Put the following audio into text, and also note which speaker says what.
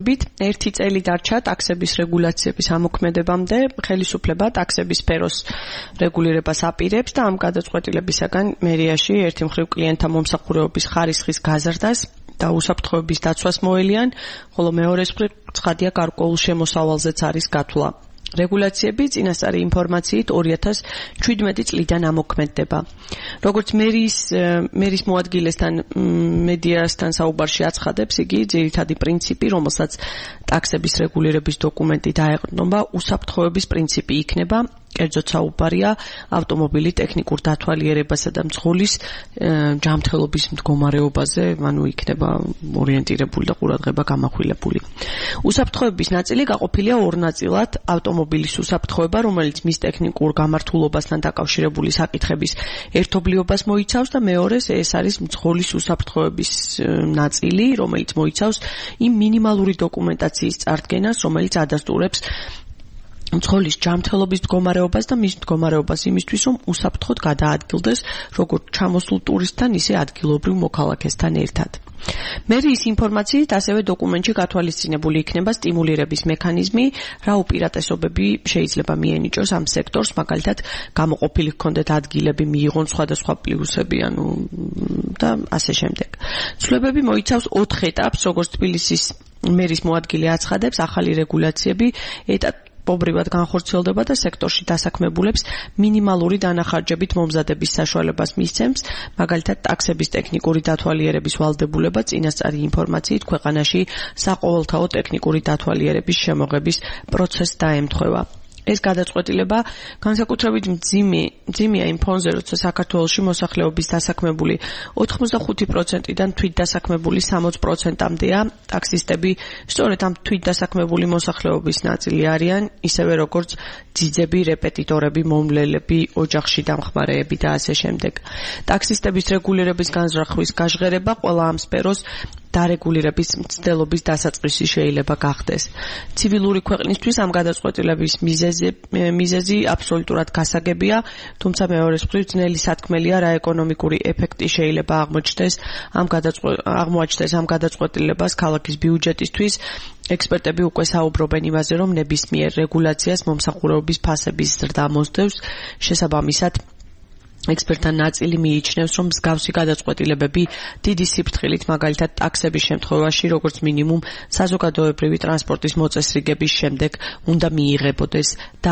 Speaker 1: განმარტებით, 1 წელი დარჩა ტაქსების რეგულაციების ამოქმედებამდე, ხელისუფლება ტაქსების სფეროს რეგულირებას აპირებს და ამ გადაწყვეტილებისაგან მერიაში ერთი მხრივ კლიენტთა მომსახურების ხარისხის გაზრდას და უსაფრთხოების დაცვას მოელიან, ხოლო მეორე მხრივ ცხადია გარკვეულ შემოსავალზეც არის გათვლა. რეგულაციები წინასწარი ინფორმაციით 2017 წლიდან ამოქმედდება. როგორც მერის მოადგილესთან მედიასთან საუბარში აცხადებს, იგი ძირითადი პრინციპი, რომელსაც ტაქსების რეგულირების დოკუმენტი დაეყრდნობა, უსაფრთხოების პრინციპი იქნება. კერძოდ საუბარია ავტომობილი ტექნიკურ დათვალიერებასა და მძღოლის ჯანმრთელობის მდგომარეობაზე, ანუ იქნება ორიენტირებული და ყურადღება გამახვილებული. უსაფრთხოების ნაწილი გაყოფილია ორ ნაწილად: ავტომობილის უსაფრთხოება, რომელიც მის ტექნიკურ გამართულობასთან დაკავშირებული საკითხების ერთობლიობას მოიცავს და მეორეს ეს არის მძღოლის უსაფრთხოების ნაწილი, რომელიც მოიცავს იმ მინიმალური დოკუმენტაციის წარდგენას, რომელიც ადასტურებს მძღოლის ჯანმრთელობის მდგომარეობას და მის მდგომარეობას იმისთვის, რომ უსაფრთხოდ გადაადგილდეს როგორც ჩამოსულ ტურისტთან, ისე ადგილობრივ მოქალაქესთან ერთად. მერიის ინფორმაციით ასევე დოკუმენტში გათვალისწინებული იქნება სტიმულირების მექანიზმი, რა უპირატესობები შეიძლება მიენიჭოს ამ სექტორს, მაგალითად გამოყოფილი ჰქონდეთ ადგილები, მიიღონ სხვადასხვა პლუსები, და ასე შემდეგ. ცვლილებები მოიცავს 4 ეტაპს, როგორც თბილისის მერის მოადგილე აცხადებს, ახალი რეგულაციები ეტაპობრივად განხორციელდება და სექტორში დასაქმებულებს მინიმალური დანახარჯებით მომზადების საშუალებას მისცემს, მაგალითად ტაქსების ტექნიკური დათვალიერების ვალდებულება წინასწარი ინფორმაციით ქვეყანაში საყოველთაო ტექნიკური დათვალიერების შემოღების პროცესს დაემთხვევა. ეს გადაწყვეტილება განსაკუთრებით მძიმეა იმ ფონზე, როცა საქართველოში მოსახლეობის დასაქმებული 85%-დან თვით დასაქმებული 60%-მდეა ტაქსისტები, სწორედ ამ თვით დასაქმებული მოსახლეობის ნაწილი არიან, ისევე როგორც ძიძები, რეპეტიტორები, მომლელები, ოჯახში დამხმარეები და ასე შემდეგ. ტაქსისტების რეგულირების განზრახვის გაჟღერება ყველა ამ სფეროს დარეგულირების მცდელობის დასაწყისი შეიძლება გახდეს. ცივილური ქვეყნისთვის ამ გადაწყვეტილების მიზეზი აბსოლუტურად გასაგებია, თუმცა მეორე მხრივ ძნელი სათქმელია, რა ეკონომიკური ეფექტი შეიძლება აღმოაჩნდეს ამ გადაწყვეტილებას ქალაქის ბიუჯეტისთვის. ექსპერტები უკვე საუბრობენ იმაზე, რომ ნებისმიერ რეგულაციას მომსახურების ფასების ზრდა მოსდევს, შესაბამისად ექსპერტთა ნაწილი მიიჩნევს, რომ მსგავსი გადაწყვეტილებები დიდი სიფრთხილით, მაგალითად ტაქსების შემთხვევაში, როგორც მინიმუმ საზოგადოებრივი ტრანსპორტის მოწესრიგების შემდეგ უნდა მიიღებოდეს და